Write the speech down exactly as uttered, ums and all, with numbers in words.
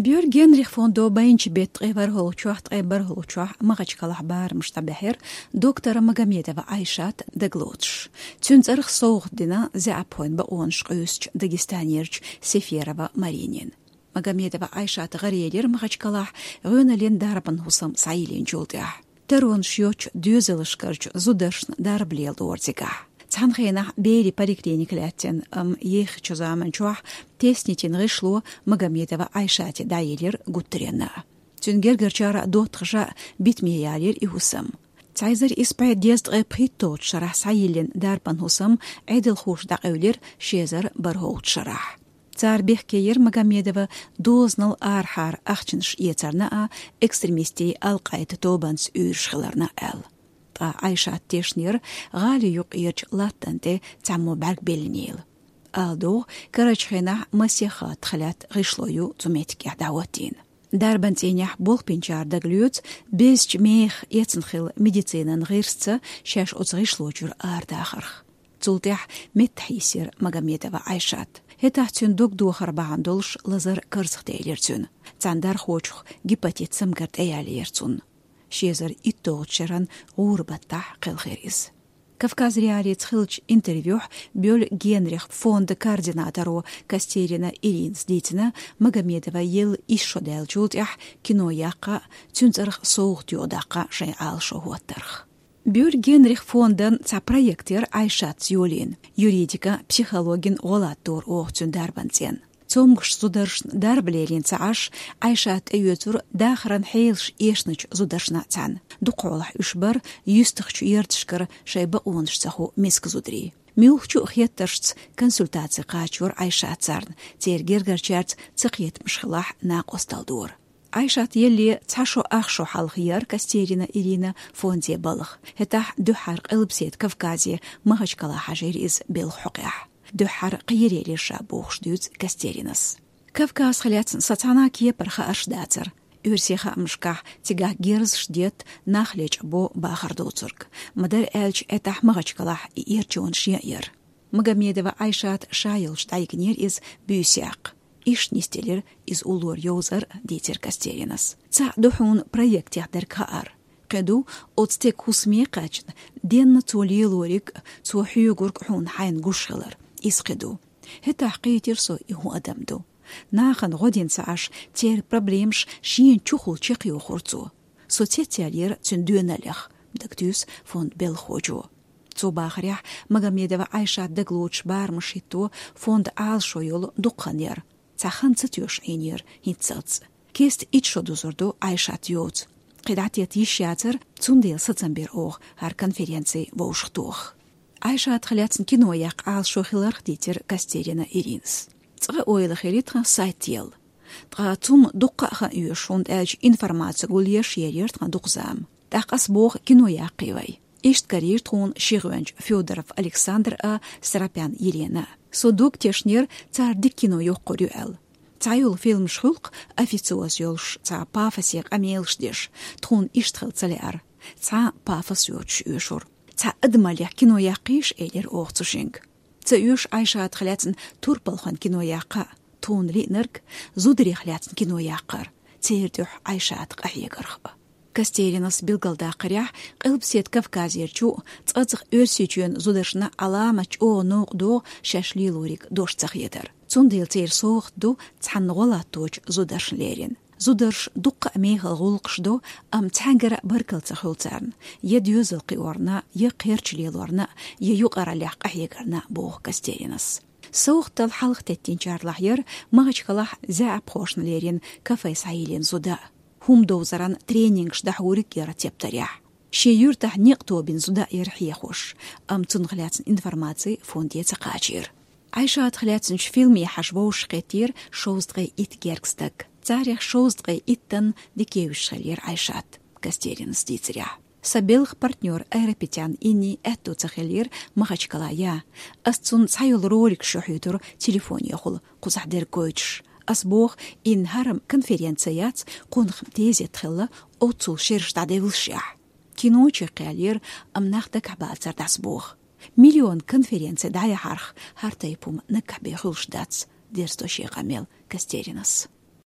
Бёргенрих фондо байначу беттан ткъе ворхӀалгӀачохь, ткъе бархӀалгӀачохь Махачкалахь барамаш дӀабаьхьира доктор Магомедова Айшат дагалоцуш. Цуьнан цӀарах совгӀат дина заьӀапхойн бакъонаш къуьйсучу Дагестанерчу Сеферова Маринина. Магомедова Айшат гӀаръелира Махачкалахь гӀоьналлин дарбан хӀусам схьайиллинчул тӀаьхьа. Таронаш йоцучу доьзалшкарчу зударшна дарба леладора цигахь. Цхьана хенахь берийн поликлиника лаьттина, амма ехачу заманчохь теснитина гӀишло Магомедова Айшате дӀаелира гуттаренна. Цуьнан гергарчара доттагӀаша битаме ялийра и хӀусам. Цхьа эзар исс бӀе дезткъе пхийтталгӀачу шарахь схьайиллина дарбан хӀусам Ӏедалхоша дӀакъевлира ши эзар бархӀалгӀачу шарахь. Цара бехке йира Магомедова дозанал арахьара ахчанаш эцарна а, экстремистийн Ал-Къаида тобанца уьйраш хиларна а аьлла. Ткъа Айшат тешнера гӀали юкъерчу латтана тӀе цхьаммо бӀаьрг беллинийла. Ала догӀу, карарчу хенахь масех хаттах лаьтта гӀишло ю цу меттигехь дӀахӀоттийна. Дарбан цӀийнехь болх бинчара дагалоьцу безачу мехах эцна хилла медицинан гӀирсаца шаьш оцу гӀишлочуьра арадахарх. Цул тӀаьхьа меттахь йисира Магомедова Айшат. ХӀетахь цуьнан дог дохар бахьана долуш лазар карзахделира цуьнан. Цхьана дархочух гепатит самгар тӀеялийра цунна. Ши эзар итталгӀачу шеран гӀуран баттахь кхелхира иза. Кавказ.Реалиица хиллачу интервьюхь Бёль Генрих фондан координаторо Костерина Иринас дийцина, Магомедова елла исс шо даьллачул тӀаьхьа кино яккха а, цуьнан цӀарах совгӀат юкъадаккха а шайн Ӏалашо хӀоттарх. Бёль Генрих фондан цхьа проект яра Айшатца йолийна, юридикан, психологин гӀо латтор оха цуьнан дарбан цӀенна. Цомгуш зударшна дарба лелийна ца Ӏаш, Айшат тӀеоьцура дахаран хьелаш эшначу зударшна цхьаьна. Дукха хьолахь уьш бара юьстахчу ярташкара шайн бакъонаш ца хуу миска зударий. Муьлххачу а хеттаршца консультаци кхачора Айшат царна, церан гергарчаьрца цакхетамаш хилахь накъосталла дора. Айшат елле цхьа шо ах шо хьалха яра Костерина Ирина фонде балха. ХӀетахь дуьххьара Къилбаседа Кавказе Махачкала хьажийра иза белхан хьокъехь. Дуьххьара кхерелира ша бохуш дуьйцу Костеринас. Кавказах лаьцна сан цхьана а кепара хаарш дацара. Оьрсийн хаамашкахь цигахь герзаш детта, нах лечкъабо бахар доцург. Ма-дарра аьлча, хӀетахь Махачкалахь и эрчонаш ян яра. Магомедова Айшат ша йолчу дӀайигнера иза буьйса яккха. Иштта нисделира иза уллора йовзар, дийцира Костеринас. Цхьаъ ду хьуна проектех дерг хаар. Кхин ду оцу стеган хӀусаме а кхаьчна, денна цо лелориг, цо хьоьгург хьуна хьайна гуш хилар. Иза кхин ду. ХӀетахь кхийтира со и хӀун адам ду. Нахана гӀо дина ца Ӏаш, церан проблемаш шена чухула чекхйохура цо. Со цецъяьллера цуьнан доьналлех, дагатуьйсу фондан белхахочо. Цо бахарехь, Магомедова Айшат дагалоцуш барамаш хӀитто фондан Ӏалашо йолу дукха хан яра. Цхьа хан ца тоьшуш Ӏийнера хӀинццалц. Кеста итт шо дузур ду Айшат йоцу. Кхин дӀатетта йиш яцара, цундела сацам бира оха хӀара конференци вовшахтоха. Айшатах лаьцна кино яккха Ӏалашо хиларх дийцира Костерина Иринас. Цкъа ойла хили тхан сайт елла. Ткъа цунна дуккха а хан оьшу, хӀунда аьлча информаци гулъеш ерира тхан дукха зама. ТӀаккха ас боху кино яккхий вай. Иштта карийра тхуна ши гӀоьнча Фёдоров Александр а, Сарапян Елена а. Со дог тешнера, цара дика кино йоккхур ю аьлла. Цхьайолу фильмаш хуьлу-кх официоз йолуш, цхьа пафосе къамелаш деш, тхуна иштта хила ца лаьара. Цхьа а пафос йоцуш оьшура. Цхьа адамаллех кино яккхийша, элира оха цу шинга. Ца оьшу Айшатах лаьцна турпалхойн кино яккха а, тхуна лиънарг зударех лаьцна кино яккхар, церан дуьхьа Айшата къахьегарх а. Костеринас билгалдаккхарехь, Къилбаседа Кавказерчу а, цкъацкъа Оьрсийчоьнан зударшна Ӏаламат чӀогӀа новкъа догӀу шаьш лелориг дош ца хетар. Цундела церан совгӀат ду цхьанна гӀо латточу зударшна лерина. Зударша дуккха а мехала гӀуллакхаш до, амма цхьаьнгара а баркалла ца хуьлу царна, я доьзал кхиорна, я кхерч лелорна, я юкъараллех къахьегарна, боху Костеринас. СовгӀатал хьалха теттинчарлахь яра Махачкалахь заьӀапхошна лерина кафе схьайиллина зуда. ХӀума довзаран тренингаш дӀахьуриг яра тептарехь. Шен юьртахь некъ тобина зуда яра хьехош, амма цунах лаьцна информаци фонде ца кхачийра. Айшатах лаьцначу фильме хьажа вовшахкхеттера шовзткъе итт гергга стаг. Царех шовзткъе иттанна дика евзаш хиллера Айшат, Костеринас дийцарехь. Сан белхан партнер Айрапетян Инни аьтто ца хиллера Махачкала ян. Ас цунна цхьайолу роликаш ю хьуьйтура телефонехула, кхузахь дерг гойтуш. Ас боху, Инна, хӀара-м конференци яц, кхунах-м тезет хилла, оццул шераш дӀадевллашехь. Кино чекхъяьллера, амма нах дагахь бацар дӀасабоху. Миллион конференци дӀаяхьарх, хӀара тайпа хӀума наггахь бен хуьлуш дац, дерзадо шен къамел Костеринас.